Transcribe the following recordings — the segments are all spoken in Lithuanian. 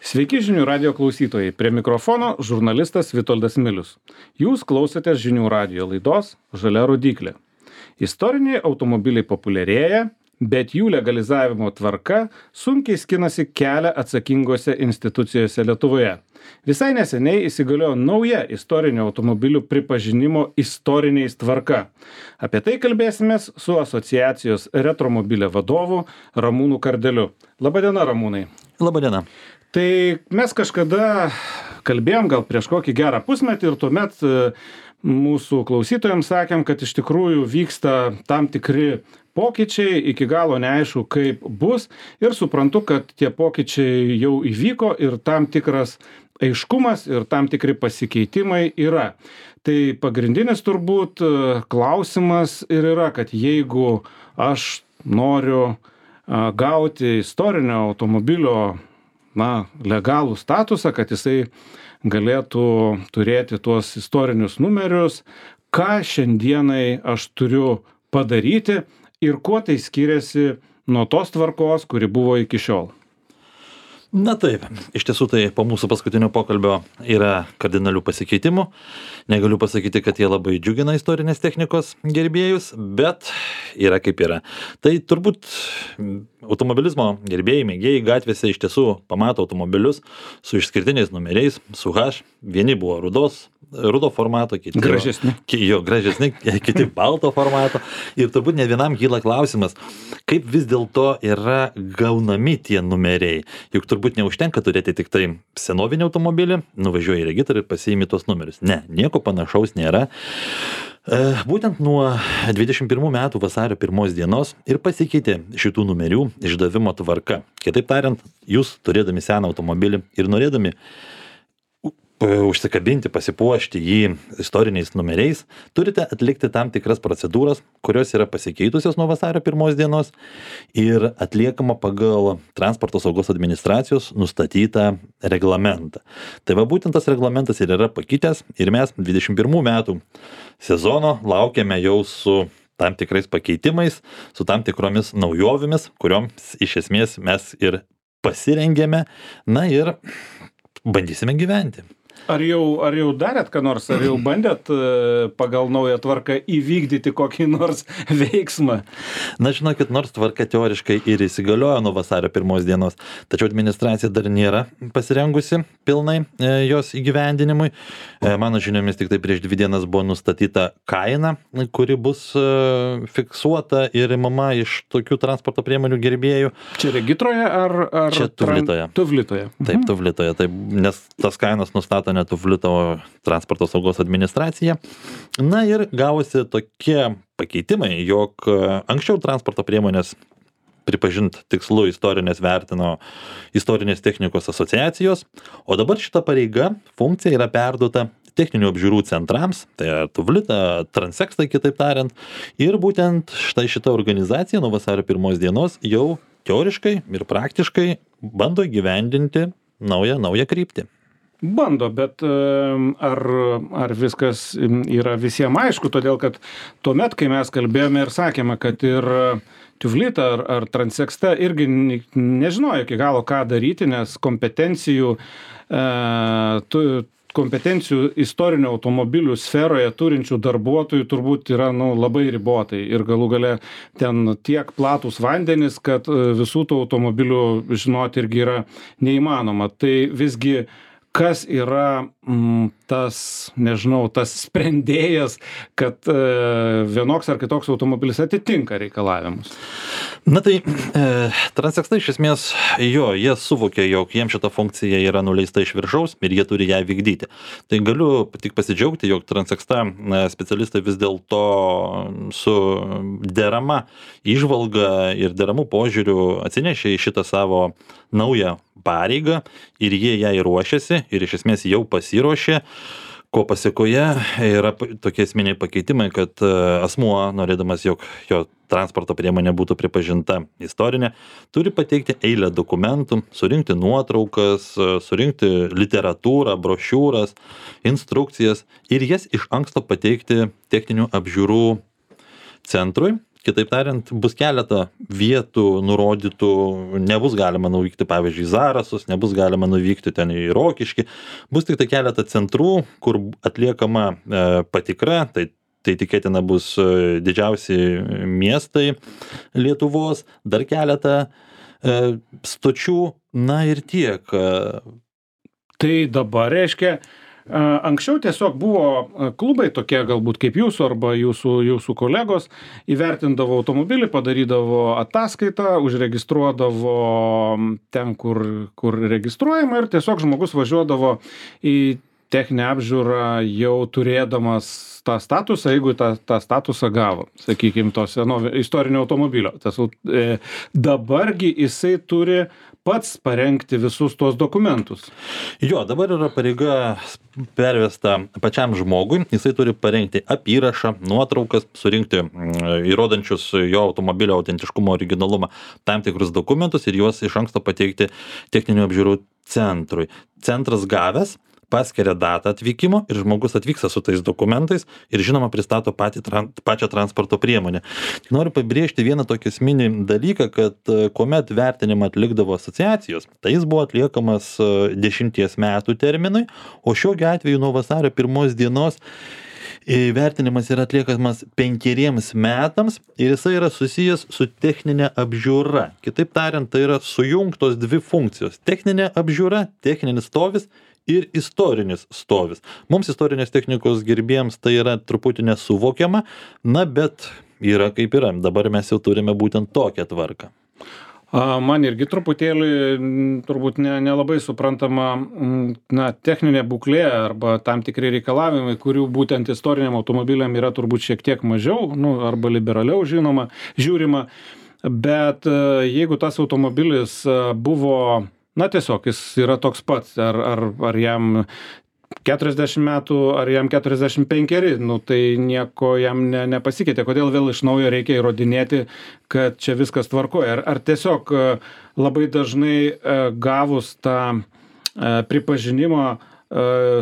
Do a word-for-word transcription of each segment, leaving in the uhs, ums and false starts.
Sveiki žinių radio klausytojai. Prie mikrofono žurnalistas Vitoldas Milius. Jūs klausotės žinių radio laidos Žalia rodyklė. Istoriniai automobiliai populiarėja, bet jų legalizavimo tvarka sunkiai skinasi kelią atsakingose institucijose Lietuvoje. Visai neseniai įsigaliojo nauja istorinių automobilių pripažinimo istoriniais tvarka. Apie tai kalbėsimės su asociacijos Retromobilė vadovu Ramūnu Kardeliu. Labadiena, Ramūnai. Labadiena. Tai mes kažkada kalbėjom gal prieš kokį gerą pusmetį ir tuomet mūsų klausytojams sakėm, kad iš tikrųjų vyksta tam tikri pokyčiai, iki galo neaišku kaip bus ir suprantu, kad tie pokyčiai jau įvyko ir tam tikras aiškumas ir tam tikri pasikeitimai yra. Tai pagrindinis turbūt klausimas ir yra, kad jeigu aš noriu gauti istorinio automobilio na, legalų statusą, kad jisai galėtų turėti tuos istorinius numerius, ką šiandienai aš turiu padaryti ir kuo tai skiriasi nuo tos tvarkos, kuri buvo iki šiol. Na taip, iš tiesų tai po mūsų paskutinio pokalbio yra kardinalių pasikeitimų. Negaliu pasakyti, kad jie labai džiugina istorinės technikos gerbėjus, bet yra kaip yra. Tai turbūt automobilizmo gerbėjai, mėgėjai gatvėse iš tiesų pamato automobilius su išskirtiniais numeriais, su H. Vieni buvo rudos, rudo formato, kiti gražesni. Jo, gražesni, kiti balto formato. Ir turbūt ne vienam kyla klausimas, kaip vis dėlto yra gaunami tie numeriai. Juk turbūt neužtenka turėti tik tai senovinį automobilį, nuvažiuoji į regitrą ir pasiimi tuos numerius. Ne, nieko panašaus nėra. Būtent nuo dvidešimt pirmų metų vasario pirmos dienos ir pasikeitė šitų numerių išdavimo tvarka. Kitaip tariant, jūs turėdami seną automobilį ir norėdami užsikabinti, pasipuošti jį istoriniais numeriais, turite atlikti tam tikras procedūras, kurios yra pasikeitusios nuo vasario pirmos dienos ir atliekama pagal Transporto saugos administracijos nustatytą reglamentą. Tai va būtent tas reglamentas ir yra pakitęs ir mes dvidešimt pirmų metų sezono laukiame jau su tam tikrais pakeitimais, su tam tikromis naujovėmis, kurioms iš esmės mes ir pasirengėme, na ir bandysime gyventi. Ar jau, ar jau darėt ką nors, ar jau bandėt pagal naują tvarką įvykdyti kokį nors veiksmą? Na, žinokit, nors tvarka teoriškai ir įsigaliojo nuo vasario pirmos dienos, tačiau administracija dar nėra pasirengusi pilnai jos įgyvendinimui. Mano žiniomis tik tai prieš dvi dienas buvo nustatyta kaina, kuri bus fiksuota ir imama iš tokių transporto priemonių gerbėjų. Čia regitroje ar... ar Čia Tuvlitoje. Tuvlitoje. Taip, Tuvlitoje, taip, nes tas kainas nustato ne Tuvlito Transporto saugos administracija. Na ir gavosi tokie pakeitimai, jog anksčiau transporto priemonės pripažint tikslu istorinės vertino istorinės technikos asociacijos, o dabar šita pareiga, funkcija yra perduota techninių apžiūrų centrams, tai yra Tuvlita, Transekstai kitaip tariant, ir būtent štai šita organizacija nuo vasario pirmos dienos jau teoriškai ir praktiškai bando įgyvendinti naują, naują kryptį. Bando, bet ar, ar viskas yra visiems aišku, todėl kad tuomet, kai mes kalbėjome ir sakėme, kad ir Tuvlita ar, ar Transeksta irgi nežinojo iki galo, ką daryti, nes kompetencijų, e, tu, kompetencijų istorinių automobilių sferoje turinčių darbuotojų turbūt yra nu, labai ribotai ir galų gale ten tiek platus vandenis, kad visų tų automobilių žinoti irgi yra neįmanoma. Tai visgi kas yra mm, tas, nežinau, tas sprendėjas, kad e, vienoks ar kitoks automobilis atitinka reikalavimus? Na tai, e, Transeksta iš esmės, jo, jie suvokė, jog jiems šita funkcija yra nuleista iš viršaus ir jie turi ją vykdyti. Tai galiu tik pasidžiaugti, jog Transeksta specialistai vis dėlto su derama įžvalga ir deramų požiūrių atsinešė į šitą savo naują pareigą ir jie ją ruošiasi ir iš esmės jau pasiruošė, ko pasiekoje yra tokie esminiai pakeitimai, kad asmuo, norėdamas, jog jo transporto priemonė būtų pripažinta istorinė, turi pateikti eilę dokumentų, surinkti nuotraukas, surinkti literatūrą, brošiūras, instrukcijas ir jas iš anksto pateikti techninių apžiūrų centrui. Kitaip tariant, bus keletą vietų nurodytų, nebus galima nuvykti, pavyzdžiui, į Zarasus, nebus galima nuvykti ten į Rokiškį, bus tik tai keletą centrų, kur atliekama e, patikra, tai, tai tikėtina bus didžiausi miestai Lietuvos, dar keletą e, stočių, na ir tiek. Tai dabar reiškia, anksčiau tiesiog buvo klubai tokie galbūt kaip jūsų arba jūsų, jūsų kolegos, įvertindavo automobilį, padarydavo ataskaitą, užregistruodavo ten, kur, kur registruojama ir tiesiog žmogus važiuodavo į techninę apžiūrą jau turėdamas tą statusą, jeigu tą, tą statusą gavo, sakykime, to seno istorinio automobilio. Tas, e, dabargi jisai turi pats parengti visus tuos dokumentus. Jo, dabar yra pareiga pervesta pačiam žmogui, jisai turi parengti apyrašą, nuotraukas, surinkti įrodančius jo automobilio autentiškumo originalumą tam tikrus dokumentus ir juos iš anksto pateikti techninių apžiūrų centrui. Centras gavęs paskiria datą atvykimo ir žmogus atvyksta su tais dokumentais ir žinoma pristato patį, pačią transporto priemonę. Tik noriu pabrėžti vieną tokį esminį dalyką, kad kuomet vertinimą atlikdavo asociacijos, tai jis buvo atliekamas dešimties metų terminui, o šiuo atveju nuo vasario pirmos dienos vertinimas yra atliekamas penkeriems metams ir jisai yra susijęs su techninė apžiūra. Kitaip tariant, tai yra sujungtos dvi funkcijos. Techninė apžiūra, techninis stovis ir istorinis stovis. Mums istorinės technikos gerbėjams tai yra truputį nesuvokiama, na bet yra kaip yra. Dabar mes jau turime būtent tokią tvarką. Man irgi truputėlį turbūt ne, nelabai suprantama na, techninė būklė arba tam tikri reikalavimai, kurių būtent istoriniam automobiliam yra turbūt šiek tiek mažiau, nu, arba liberaliau žinoma, žiūrima. Bet jeigu tas automobilis buvo, na tiesiog jis yra toks pats, ar, ar, ar jam keturiasdešimt metų, ar jam keturiasdešimt penkeri, nu tai nieko jam ne, nepasikeitė. Kodėl vėl iš naujo reikia įrodinėti, kad čia viskas tvarkoja? Ar, ar tiesiog labai dažnai gavus tą pripažinimą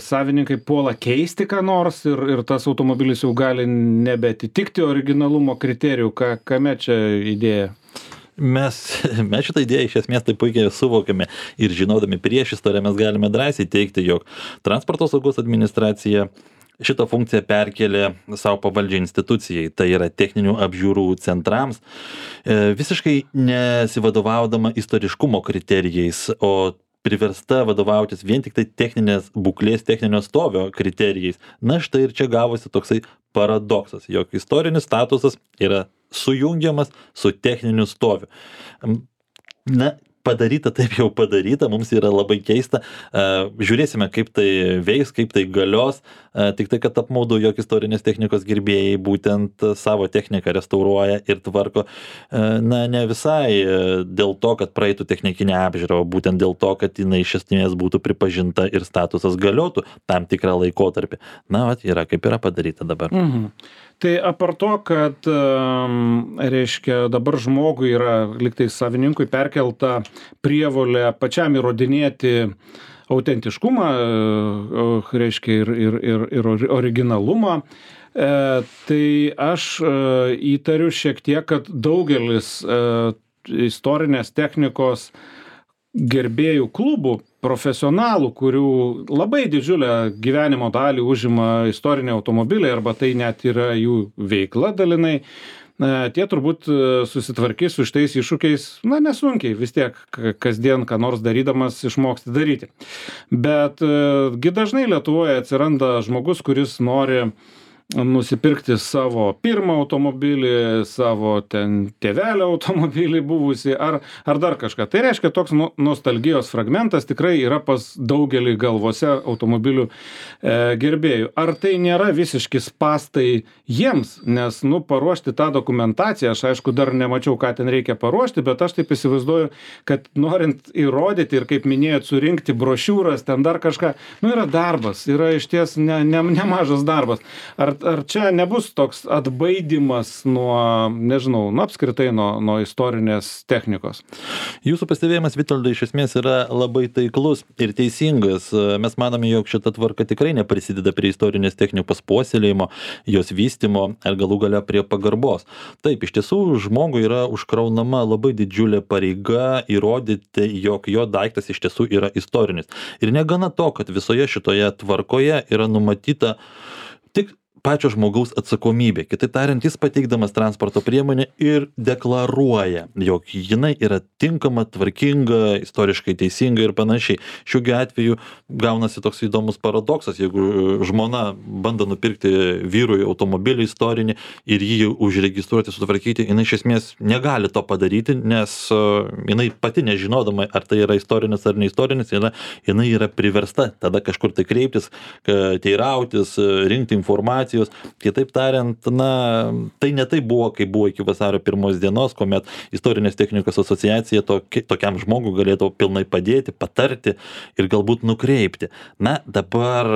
savininkai puola keisti ką nors ir, ir tas automobilis jau gali nebeatitikti originalumo kriterijų? Ka, kame čia idėja? Mes, mes šitą idėją iš esmės tai puikiai suvokiame ir žinodami prieš istoriją mes galime drąsiai teikti, jog transporto saugos administracija šitą funkciją perkelė savo pavaldžiai institucijai, tai yra techninių apžiūrų centrams, visiškai nesivadovaudama istoriškumo kriterijais, o priversta vadovautis vien tik tai techninės būklės, techninio stovio kriterijais. Na štai ir čia gavosi toksai paradoksas, jog istorinis statusas yra sujungiamas su techniniu stoviu. Na, padaryta taip jau padaryta, mums yra labai keista. Žiūrėsime, kaip tai veiks, kaip tai galios. Tik tai, kad apmaudu, jog istorinės technikos gerbėjai būtent savo techniką restauruoja ir tvarko. Na, ne visai dėl to, kad praeitų technikinę apžiūrą, o būtent dėl to, kad jinai iš esmės būtų pripažinta ir statusas galiotų tam tikrą laikotarpį. Na, vat, yra kaip yra padaryta dabar. Mhm. Tai apart to, kad reiškia, dabar žmogui yra liktai savininkui perkelta prievolė pačiam įrodinėti autentiškumą, reiškia ir, ir, ir, ir originalumą, tai aš įtariu šiek tiek, kad daugelis istorinės technikos gerbėjų klubų, profesionalų, kurių labai didžiulę gyvenimo dalį užima istoriniai automobiliai arba tai net yra jų veikla dalinai, tie turbūt susitvarkys su šitais iššūkiais, na nesunkiai, vis tiek kasdien ką nors darydamas išmoksti daryti. Bet gi dažnai Lietuvoje atsiranda žmogus, kuris nori nusipirkti savo pirmą automobilį, savo ten tėvelio automobilį buvusį ar, ar dar kažką. Tai reiškia, toks nostalgijos fragmentas tikrai yra pas daugelį galvose automobilių e, gerbėjų. Ar tai nėra visiški spastai jiems, nes, nu, paruošti tą dokumentaciją, aš aišku dar nemačiau, ką ten reikia paruošti, bet aš taip įsivaizduoju, kad norint įrodyti ir, kaip minėjot, surinkti brošiūras, ten dar kažką, nu, yra darbas, yra iš ties ne, ne, nemažas darbas. Ar ar, ar čia nebus toks atbaidymas nuo, nežinau, nu apskritai nuo, nuo istorinės technikos? Jūsų pastebėjimas, Vitoldai, iš esmės yra labai taiklus ir teisingas. Mes manome, jog šita tvarka tikrai neprisideda prie istorinės technikos puoselėjimo, jos vystymo ar galų gale prie pagarbos. Taip, iš tiesų žmogui yra užkraunama labai didžiulė pareiga įrodyti, jog jo daiktas iš tiesų yra istorinis. Ir negana to, kad visoje šitoje tvarkoje yra numatyta tik pačio žmogaus atsakomybė. Kitaip tariant, jis pateikdamas transporto priemonę ir deklaruoja, jog jinai yra tinkama, tvarkinga, istoriškai teisinga ir panašiai. Šiuo atveju gaunasi toks įdomus paradoksas, jeigu žmona bando nupirkti vyrui automobilį istorinį ir jį užregistruoti, sutvarkyti, jinai iš esmės negali to padaryti, nes jinai pati nežinodama, ar tai yra istorinis ar neistorinis, jinai, jinai yra priversta tada kažkur tai kreiptis, teirautis, rinkti informaciją. Kitaip tariant, na, tai ne tai buvo, kai buvo iki vasario pirmos dienos, kuomet istorinės technikos asociacija toki, tokiam žmogui galėtų pilnai padėti, patarti ir galbūt nukreipti. Na, dabar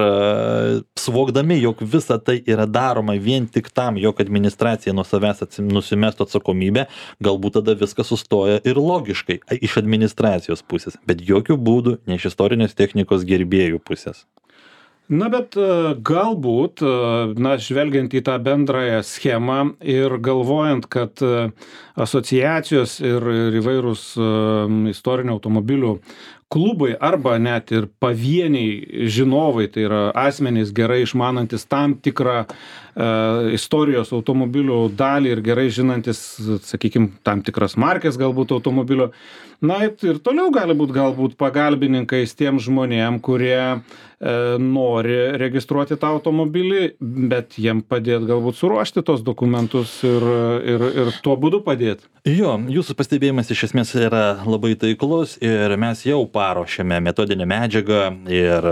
suvokdami, jog visa tai yra daroma vien tik tam, jog administracija nuo savęs nusimestų atsakomybę, galbūt tada viskas sustoja ir logiškai iš administracijos pusės, bet jokių būdų ne iš istorinės technikos gerbėjų pusės. Na, bet galbūt, na, žvelgiant į tą bendrąją schemą ir galvojant, kad asociacijos ir, ir įvairūs istorinių automobilių klubai arba net ir pavieniai žinovai, tai yra asmenys gerai išmanantis tam tikrą e, istorijos automobilių dalį ir gerai žinantis, sakykime, tam tikras markės galbūt automobilio, na ir toliau gali būti galbūt pagalbininkais tiem žmonėm, kurie e, nori registruoti tą automobilį, bet jiem padėti galbūt suruošti tos dokumentus ir, ir, ir tuo būdu padėti. Jo, jūsų pastebėjimas iš esmės yra labai taiklus ir mes jau paruošėme metodinę medžiagą ir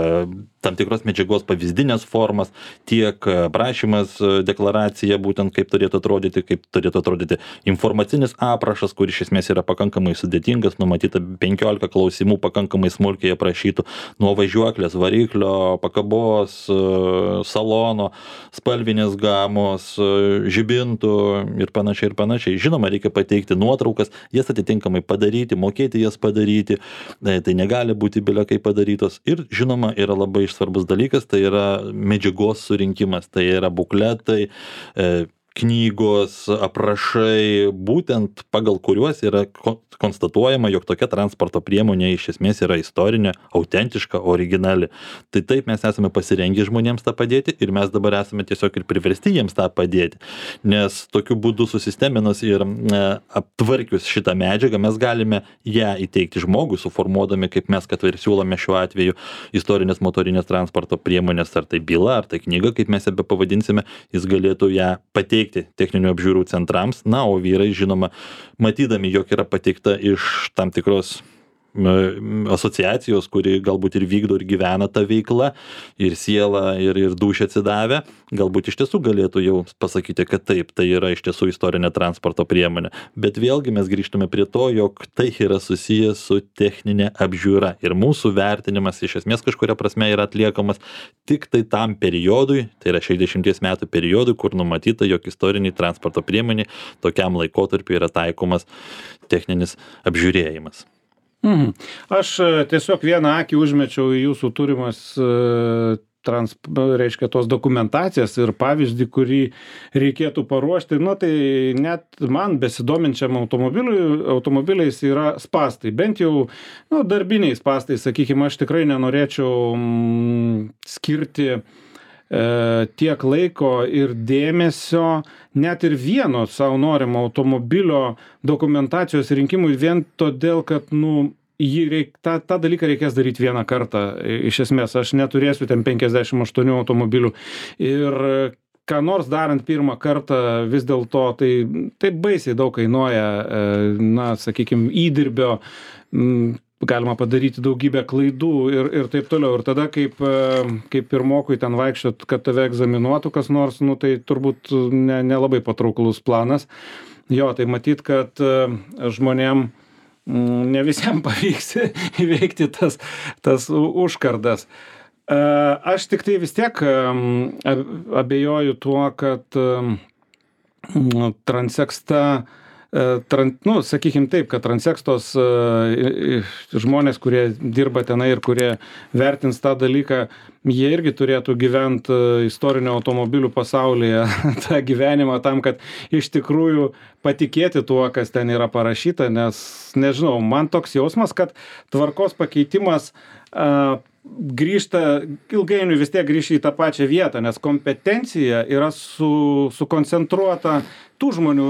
tam tikros medžiagos pavyzdinės formas, tiek prašymas, deklaracija, būtent kaip turėtų atrodyti, kaip turėtų atrodyti informacinis aprašas, kur iš esmės yra pakankamai sudėtingas, numatyta penkiolika klausimų pakankamai smulkiai aprašytų nuo važiuoklės, variklio, pakabos, salono, spalvinės gamos, žibintų ir panašiai ir panašiai. Žinoma, reikia pateikti nuotraukas, jas atitinkamai padaryti, mokėti jas padaryti, tai negali būti bile kaip padarytos. Ir žinoma, yra labai svarbus dalykas, tai yra medžiagos surinkimas, tai yra bukletai, e, knygos, aprašai, būtent pagal kuriuos yra konstatuojama, jog tokia transporto priemonė iš esmės yra istorinė, autentiška, originali. Tai taip mes esame pasirengę žmonėms tą padėti ir mes dabar esame tiesiog ir priversti jiems tą padėti. Nes tokiu būdu susisteminus ir e, aptvarkius šitą medžiagą mes galime ją įteikti žmogui, suformuodami, kaip mes kad ir siūlome šiuo atveju, istorinės motorinės transporto priemonės, ar tai byla, ar tai knyga, kaip mes ją pavadinsime, jis galėtų ją pateikti techninių apžiūrų centrams, na, o vyrai, žinoma, matydami, jog yra pateikta iš tam tikros asociacijos, kuri galbūt ir vykdo ir gyvena tą veiklą, ir siela, ir, ir dūšia atsidavę, galbūt iš tiesų galėtų jau pasakyti, kad taip, tai yra iš tiesų istorinė transporto priemonė. Bet vėlgi mes grįžtume prie to, jog tai yra susijęs su techninė apžiūra. Ir mūsų vertinimas iš esmės kažkuria prasme yra atliekamas tik tai tam periodui, tai yra šešiasdešimties metų periodui, kur numatyta, jog istoriniai transporto priemonė tokiam laikotarpiu yra taikomas techninis apžiūrėjimas. Mhm. Aš tiesiog vieną akį užmečiau į jūsų turimas trans, reiškia, tos dokumentacijas ir pavyzdį, kurį reikėtų paruošti. Nu, tai net man besidominčiam automobiliais yra spastai. Bent jau nu, darbiniai spastai, sakykime, aš tikrai nenorėčiau mm, skirti e, tiek laiko ir dėmesio net ir vieno savo norimo automobilio dokumentacijos rinkimui vien todėl, kad, nu, jį reik, tą, tą dalyką reikės daryti vieną kartą. Iš esmės, aš neturėsiu ten penkiasdešimt aštuonių automobilių. Ir ką nors darant pirmą kartą, vis dėlto tai, tai baisiai daug kainuoja, na, sakykime, įdirbio, galima padaryti daugybę klaidų ir, ir taip toliau. Ir tada, kaip, kaip pirmokui ten vaikščiot, kad tave egzaminuotų kas nors, nu, tai turbūt ne, nelabai patrauklus planas. Jo, tai matyt, kad žmonėm ne visiems pavyks įveikti tas, tas užkardas. Aš tik tai vis tiek abejoju tuo, kad Transeksta, tran, nu, sakykim taip, kad Transekstos žmonės, kurie dirba tenai ir kurie vertins tą dalyką, jie irgi turėtų gyventi istorinio automobilių pasaulyje tą gyvenimą tam, kad iš tikrųjų patikėti tuo, kas ten yra parašyta, nes, nežinau, man toks jausmas, kad tvarkos pakeitimas a, grįžta, ilgainiui vis tiek grįžta į tą pačią vietą, nes kompetencija yra su, sukoncentruota tų žmonių,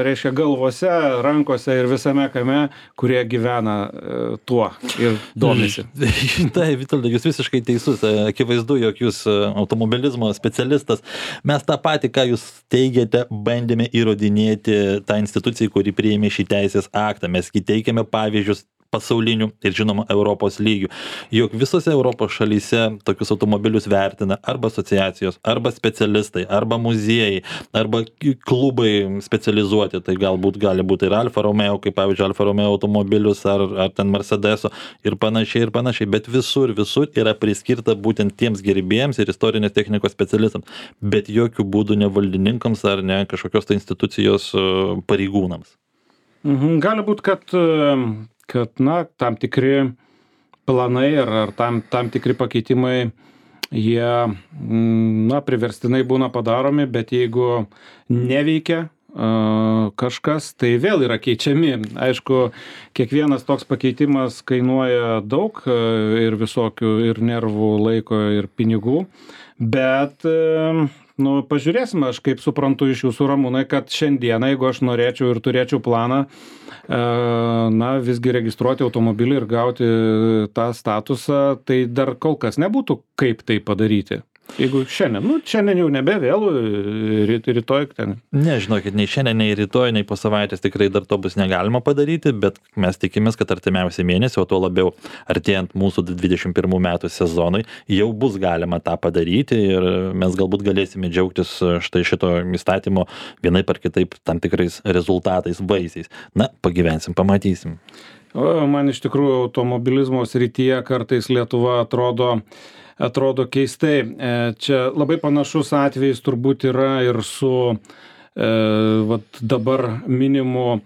reiškia, galvose, rankose ir visame kame, kurie gyvena tuo ir domisi. Tai, Vitoldai, jūs visiškai teisus. Akivaizdu, jog jūs automobilizmo specialistas. Mes tą patį, ką jūs teigiate, bandėme įrodinėti tą instituciją, kuri priėmė šį teisės aktą. Mes teikėme pavyzdžius pasaulinių ir žinoma Europos lygių. Juk visose Europos šalyse tokius automobilius vertina arba asociacijos, arba specialistai, arba muziejai, arba klubai specializuoti. Tai galbūt gali būti ir Alfa Romeo, kaip pavyzdžiui Alfa Romeo automobilius, ar, ar ten Mercedeso ir panašiai ir panašiai. Bet visur, visur yra priskirta būtent tiems gerbėjams ir istorinės technikos specialistams, bet jokių būdų ne valdininkams ar ne kažkokios tai institucijos pareigūnams. Mhm, gali būti, kad kad, na, tam tikri planai ar, ar tam, tam tikri pakeitimai, jie, na, priverstinai būna padaromi, bet jeigu neveikia uh, kažkas, tai vėl yra keičiami. Aišku, kiekvienas toks pakeitimas kainuoja daug uh, ir visokių, ir nervų, laiko, ir pinigų, bet uh, nu, pažiūrėsime, aš kaip suprantu iš jūsų, Ramūnai, kad šiandieną, jeigu aš norėčiau ir turėčiau planą, na, visgi registruoti automobilį ir gauti tą statusą, tai dar kol kas nebūtų kaip tai padaryti. Jeigu šiandien, nu, šiandien jau nebe vėlų, rytoj ten. Ne, žinokit, nei šiandien, nei rytoj, nei po savaitės tikrai dar to bus negalima padaryti, bet mes tikimės, kad artimiausią mėnesį, o tuo labiau artėjant mūsų dvidešimt pirmų metų sezonui, jau bus galima tą padaryti ir mes galbūt galėsime džiaugtis štai šito įstatymo vienaip ar kitaip tam tikrais rezultatais, vaisiais. Na, pagyvensim, pamatysim. O, man iš tikrųjų automobilizmo srityje kartais Lietuva atrodo atrodo keistai. Čia labai panašus atvejis turbūt yra ir su e, vat, dabar minimu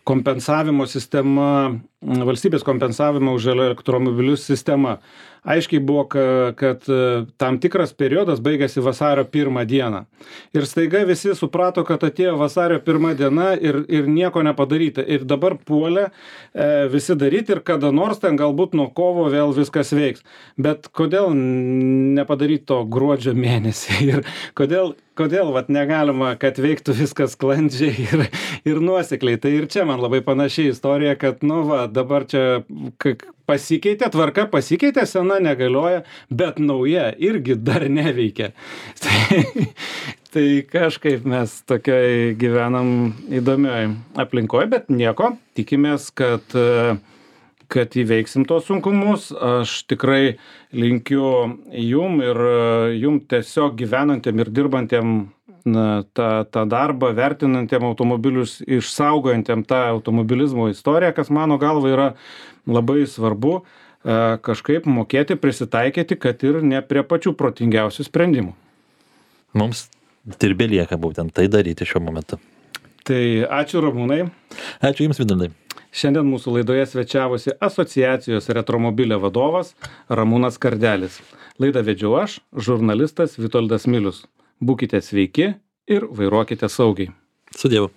kompensavimo sistema, valstybės kompensavimo už elektromobilius sistema. Aiškiai buvo, kad tam tikras periodas baigėsi vasario pirmą dieną. Ir staiga visi suprato, kad atėjo vasario pirma diena ir, ir nieko nepadaryta. Ir dabar puolė e, visi daryti ir kada nors ten galbūt nuo kovo vėl viskas veiks. Bet kodėl nepadaryti to gruodžio mėnesį? Ir kodėl, kodėl vat, negalima, kad veiktų viskas sklandžiai ir, ir nuosekliai? Tai ir čia man labai panaši istorija, kad, nu va, dabar čia pasikeitė, tvarka pasikeitė, sena negalioja, bet nauja irgi dar neveikia. Tai, tai kažkaip mes tokioj gyvenam įdomioj aplinkoje, bet nieko, tikimės, kad, kad įveiksim tos sunkumus. Aš tikrai linkiu jum ir jum tiesiog gyvenantiem ir dirbantiem na, tą, tą darbą, vertinantiem automobilius, išsaugojantiem tą automobilizmo istoriją, kas mano galva yra labai svarbu, kažkaip mokėti prisitaikyti, kad ir ne prie pačių protingiausių sprendimų. Mums ir belieka būtent tai daryti šiuo momentu. Tai ačiū, Ramūnai. Ačiū Jums, Vitoldai. Šiandien mūsų laidoje svečiavosi asociacijos Retromobilė vadovas Ramūnas Kardelis. Laidą vedžiau aš, žurnalistas Vitoldas Milius. Būkite sveiki ir vairuokite saugiai. Su Dievu.